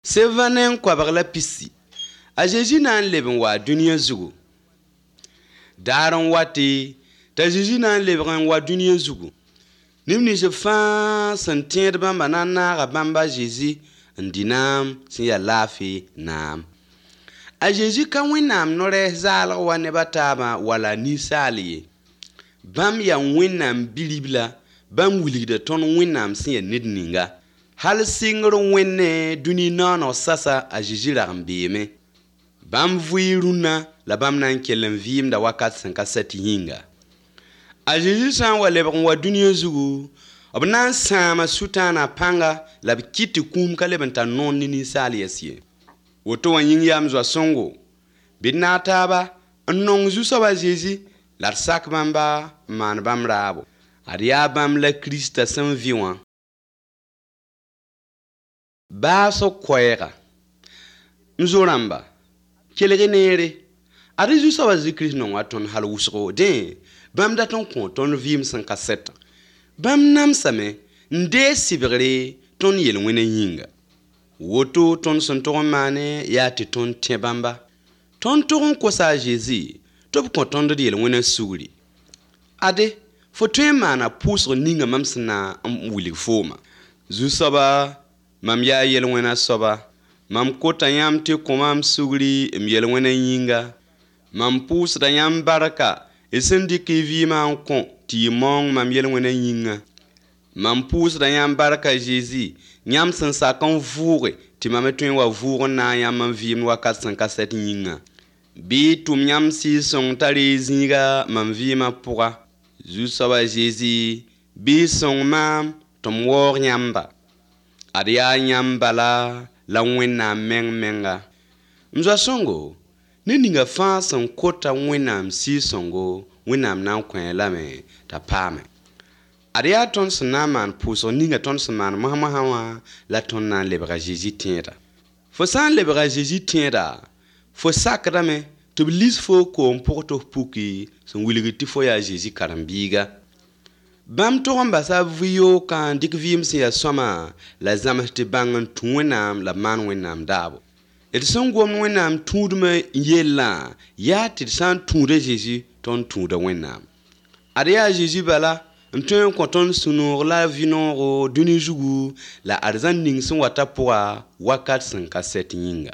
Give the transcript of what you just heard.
Sevanen kwabag la pisi. A Jésus nan leben wa duniya zugu. Daron wati, ta Jésus nan leben wa duniya zugu. Nimni je fan san tiẽed bãmba na n naaga bãmba Jésus n di naam sẽn ya laafɩ naam. A Jésus ka wẽnnaam no-rɛɛs zaalg wa nebã taabã wala ninsaal ye. Bãmb ya wẽnnaam Bi-rib la, bãmb wilgda tõnd wẽnnaam sẽn ya ned ninga. Hal sɩngr wẽnne dũni naaneg sasa a Jésus rag n beeme. Bãmb vɩɩ rũnnã la bãmb na n kell n vɩɩmda wakat sẽn ka sɛ tɩ yĩnga. A Jésus sã n wa lebg n wa dũniyã zugu, b na n sãama Sʋtãanã pãnga la b kɩt tɩ kũum ka leb n tar noon ne ninsaal yɛs ye. Woto wã yĩng yam zoa-sõngo, bɩ d na a taaba n nong Zu-soabã Jésus la d sak bãmba n maan bãmb raabo. Ad yaa bãmb la Kiristã sẽn vɩ wã. Baasg koɛɛga. M zo-rãmba, kelg neere. Ad Zu-soabã Zezi-Kirist nong wa tõnd hal wʋsgo, dẽ bãmb dat n kõ tõnd vɩɩm sẽn ka sɛta. Bãmb namsame n deeg sɩbgre tõnd yel-wẽnã yĩnga. Woto tõnd sẽn tog n maane yaa tɩ tõnd tẽ bãmba. Tõnd tog n kosa a Jésus tɩ b kõ tõnd d yel-wẽnã sugri. Ade, fo tõe n maana pʋʋsg ninga mam sẽn na n wilg fooma. Zu-soaba, mam yaa yel-wẽnã soaba. Mam kota yãmb tɩ kõ mam sugri m yel-wẽnã yĩnga. Mam pʋʋsda yãmb barka y sẽn dɩk y vɩɩmã n kõ tɩ y mong mam yel-wẽnã yĩnga. Mam pʋʋsda yãmb barka Jésus, yãmb sẽn sak n vʋʋge tɩ mam me tõe n wa vʋʋg n na n yãmb n vɩɩmd wakat sẽn ka sɛt yĩnga. Bɩ y tʋm yãmb sɩɩg-sõng t'a ree zĩiga mam vɩɩmã pʋga. Zu-soaba Jésus, bɩ y sõng maam tɩ m waoog yãmba. Ad yaa yãmb bala la Wẽnnaam menga. M zoa-sõngo, ne ninga fãa sẽn kota Wẽnnaam sɩɩg-sõngo, Wẽnnaam na n kõ lame t'a paame. Ad yaa tõnd sẽn na n maan pʋʋsg ninga tõnd sẽn maan moasã wã la tõnd na n lebga Jésus tẽeda. Fo sã n lebga Jésus tẽeda, fo sakdame tɩ b lis fo koom pʋg tɩ f puki sẽn wilgd tɩ fo yaa Jésus karen-biiga. Bãmb tog n basa b vɩ-yookã n dɩk vɩɩm sẽn yaa sõama la zãms tɩ bãng n tũ Wẽnnaam la b maan Wẽnnaam daabo. D sẽn gomd Wẽnnaam tũudmã yellã yaa tɩ d sã n tũuda Jésus tõnd tũuda Wẽnnaam. Ad yaa Jésus bala n tõe n kõ tõnd sũ-noog la vɩ-noogo dũni zugu la ad zãn ning sẽn wa ta pʋga wakat sẽn ka sɛt yĩnga.